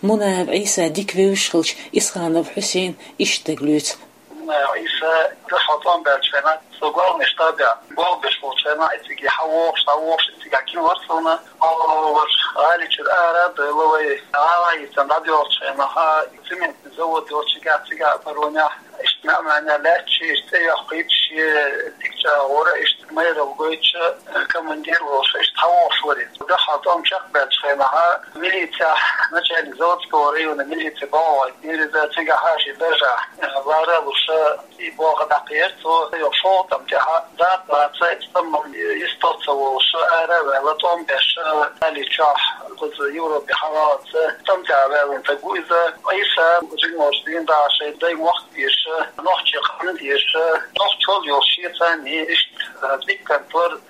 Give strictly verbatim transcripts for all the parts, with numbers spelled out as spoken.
Мунаев Ӏийса дика вевзаш хилча, Исханов Хьусейна иштта дега лоьцу. Мунаев Ӏийса дуьхьал тӀом баьлча хенахь, со главный штабехь болх беш волчу хенахь, и цига хьавогӀуш, дӀавогӀуш, и цига кхин вара суна. Хьо вара гӀали чуьра ара а доьлла вай, гӀала йицан дӀадоьлхучу хенахь, цементный завод йолчу цигахь, цигахь паронехь, иштта маьӀ-маьӀна лаьтташ, иштта цӀе йоккхуьйтуш, шен дика чӀагӀо вара, иштта майралла гойтуш, командир волуш, иштта хьавогӀуш вара иза. Дуьхьал тӀом чекхбаьлча хенахь, милицехь начальник Заводского района милиции боху вай, иза цигахь шен даржехь лара а луш, и боху дӀакхера цо, йо шолгӀа тӀам тӀехь, дат баца, и тӀам йисто ца волуш, ара а ваьлла, тӀом беш, Али чохь, кхуза Европе хьаваллалц, тӀам тӀехь ваьллина стаг ву иза. Ӏийса жимачу дийнахь шайн дай мохк дезаш, нохчийн къам дезаш, нохчалла йолуш шен царна иштта дика кантор.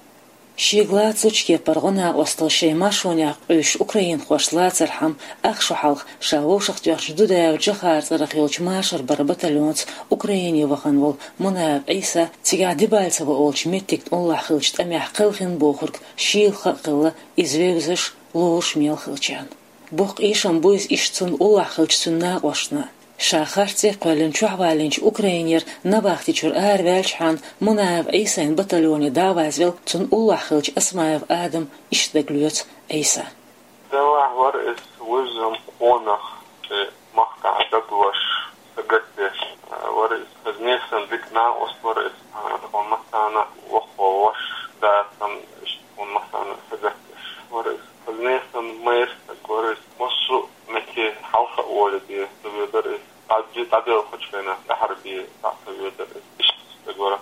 Шега лацучу кепара гӀо-накъосталла шайн маршонехь къуьйсуш украинхошца лацархьама, ах шо хьалха ша вовшахтоьхначу Дудаев Джохара цӀарах йолчу машар баран батальонца Украине вахана волу Мунаев Ӏийса цигахь Дебальцево олучу меттига тӀуллахь хиллачу тӀамехь кхелхина бохург шийла хаа хилла, иза вевзаш, лоруш мел хиллачарна. Боккха эшам бу иза иштта цунна уллохь хиллачу цуьнан накъосташна. Ша харц цӀе кхоьллина чохь валлинчу Украинера Навахти чуьра араваьллачхьана Мунаев Ӏийсин батальоне дӀа а вазвелла, цунна уллохь хиллачу Осмаев Адама иштта дега лоьцу Ӏийса. Делахь вара иза вуьззина къонах, шен махкахь дагалош, сагатдеш вара иза. Хаза несан дика накъост вара иза. Тхуна массарна воккхо ваша, дацам, иштта тхуна массарна сагатдеш вара иза. Хаза несан майра стаг вара иза. Массо а метте хьалха а волий бен ца воьдура иза. ДӀа-, дӀадоьлхучу хенахь тӀаьхьара бен дӀа а ца воьдура иза. Иштта стаг вара.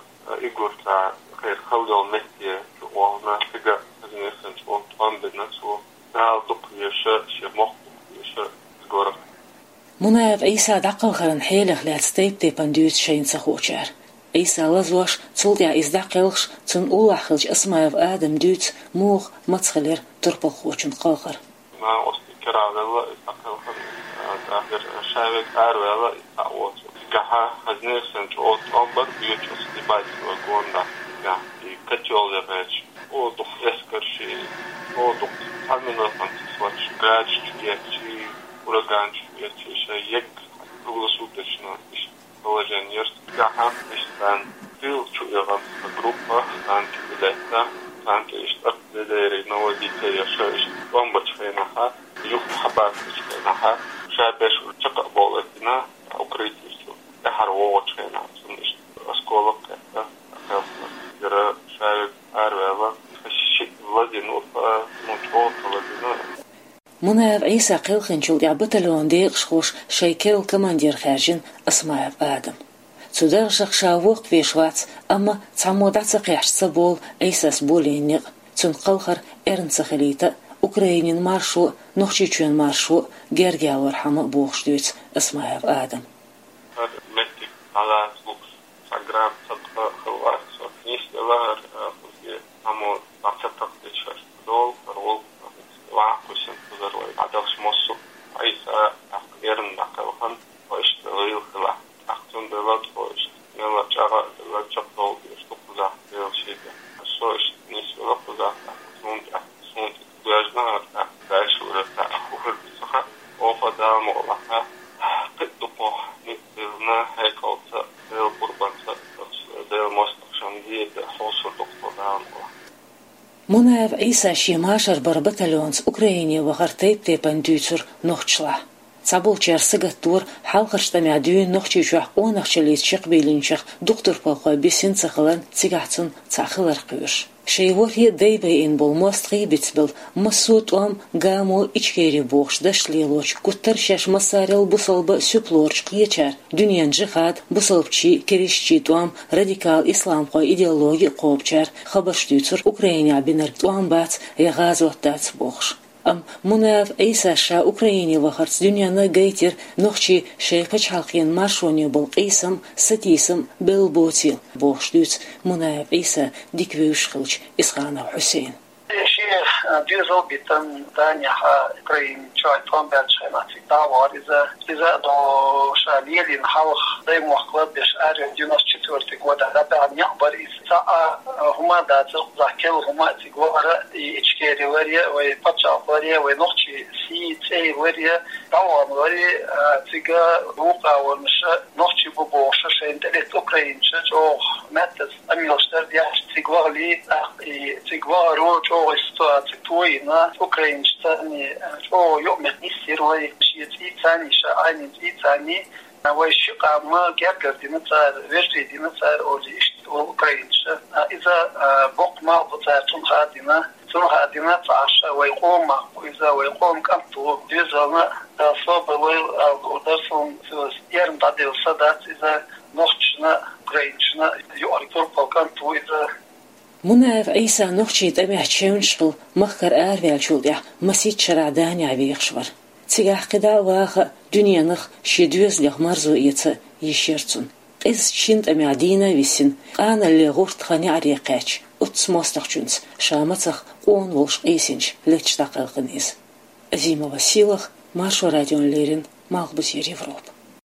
Игурта кхеран хала йолу метте чу а вахана, цига хаза несан чӀогӀа тӀом бина цо. Дала дукха веза, шен мохк дукха веза, иза вара. Мунаев Ӏийса дӀакхалхаран хьелех лаьцна тайп-тайпана дуьйцу шайна ца хуучара. Ӏийса лазош, цул тӀаьхьа иза дӀакхелхаш, цунна уллохь хиллачу Осмаев Адама дуьйцу муха, маца хилира турпалхочун кхалхар. Накъостий кара а велла, иза дӀакхелхина, а, тӀаккха шаверг араваьлла, иза цхьаъ воцург. Цигахь хаза несан чӀогӀа тӀом бара, боьчу оцу Дебальцево гондахь, цигахь и котёл яхьеча. О, дукха эскарш, о, дукха цхьа минотан ца соцуш, гаджа чу эцчи, ураган чу эцчи, шайн егга круглосуточно иштта положение яра. Цигахь иштта царна тил чу эгӀан группа танки билетта, танки иштта артиллерия наводить яра, иштта тӀом бачу хенахь, юха хьабацачу хенахь, ша беш чекх а бовлийтина, укрытие чу тӀаьхьара вогӀучу хенахь, цунна иштта осколок кхетта, кхелхина. Яра шаверг араваьлла, шиъ лазийна ву, ну, чӀогӀа ца лазийна. Мунаев Ӏийса кхелхинчул тӀаьхьа батальонан декъашхоша шайн керла командир хаьржина Осмаев Адам. Цу даржах ша воккхавеш вац, амма цхьаммо дӀа ца кхехьча ца болу Ӏийсас болийна некъ. Цуьнан кхалхар эрна ца хилийта а, Украинин маршо а, Нохчийчоьнан маршо а герга ялорхьама а бохуш дуьйцу Осмаев Адама. ХӀара меттиг дӀалацалуш, цхьа грамм цхьа тӀе хилла вац со. Нийсвелла хӀара, а, кхузахь цхьаммо дӀа ца такхийтича, хӀара долу, хӀара волу, ваха кхуьссина кхузара вай дӀадахча массо а. Ӏийса тӀаккха эрна дӀакхелхина, тхо иштта гӀийла хилахь. ТӀаккха цундела тхо иштта мелла чӀагӀ а делла, чекхдовла дезаш ду кхузахь Делан шийтта. Со иштта нийсвелла кхузахь, тӀаккха суна тӀе, суна тӀе доьжна хӀара тӀаккха, дальше уже цхьа а хӀун хир ду ца хаьа. Оха Дала мукъалахь, кхин а дукха ницкъ диллина, хьекъалца, Делан къурбанца, Делан мостагӀчунна дийр де хьовсур ду-кх тхо Дала мукъалахь. Мунаев Ӏийса шен машар баран батальонца Украине вахар тайп-тайпана дуьйцура нохчашлахь. Цхьаболчара сагатдора хьалхарчу тӀамехь дуьйна Нохчийчохь къонахчаллица чекхбийлинчех дукха турпалхой бисина ца хиларна, цигахь цунна цхьаъ хилар кхоьруш. Шайн ворхӀе а дай байина болу мостагӀий а бицбелла, массо а тӀом, гамо, Ичкери бохучу дашца лелочу гуттар а шаьш массарел а бусалба а суьпа лоручу кхечара, дуьненан жихӀад, бусалбачий, керистчий тӀом, радикал исламхойн идеологи а кхобучара хабарш дуьйцура Украинехь бинарг тӀом бац я гӀазот дац бохуш. Амма Мунаев Ӏийсас ша Украине вахарца дуьненна а гайтира нохчий шайн пачхьалкхан маршоне болу къийсам а, сатийсам а белла боцийла, бохуш дуьйцу Мунаев Ӏийса дика вевзаш хиллачу Исханов Хьусейна. Шен, а, доьзал битина Данехь, а, Украинан чоьхь тӀом баьлча хенахь цига дӀа а вахара иза. Иза а до ша лелийна хьалха Даймохк лазабеш арахь девяносто четвёртый годахь дӀабаьхьна некъ бара иза. Цхьа а хӀума а дацара, кхузахь керла хӀума а, цига вахара и Ичкери варе, вай паччахьалкх варе, вай нохчий сий цӀей варе, дӀавахана варе, а, цига вукхаварнаша нохчий бу бохуша шайна тӀелетта украинча чӀогӀа меттаза къамелаш дара деш цига вахале, тӀаккха и цига вахаро чӀогӀа и ситуаци тойина, украинча царний, а, чӀогӀа юкъаметтиг йисира вай, шен цӀий царний, ша Ӏайнин цӀий царний, а, вай ши къам гергара дина цара, вежарий дина цара, олий, иштта вай украинча. А, иза, а, боккха малх бу цара цунах а дина, цунах а дина ца Ӏаш, вай къоман малх бу иза, вай къоман кӀант ву, доьзална, а, собар лойла ала луур дара суна, цо эрна дӀаделла са дац иза, нохчашна, украинчашна юкъара турпал кӀант ву иза. Мунаев Ӏийса нохчийн тӀамехь чевнаш хилла махкара араваьллачул тӀаьхьа масийтта шарахь Данехь вехаш вара. Цигахь кхидӀа а ваха а, дуьненах шен доьзалех марзо эца а йиш яра цунна. Къиза шина тӀамехь дийна а висина, къаналле гӀуртах неӀаре кхаьчча, оццу мостагӀчуьнца ша мацах къона волуш къийсинчу летташ дӀакхелхина иза. Азимова Сийлаха, Маршо радиона леррина, Малхбузера Европа.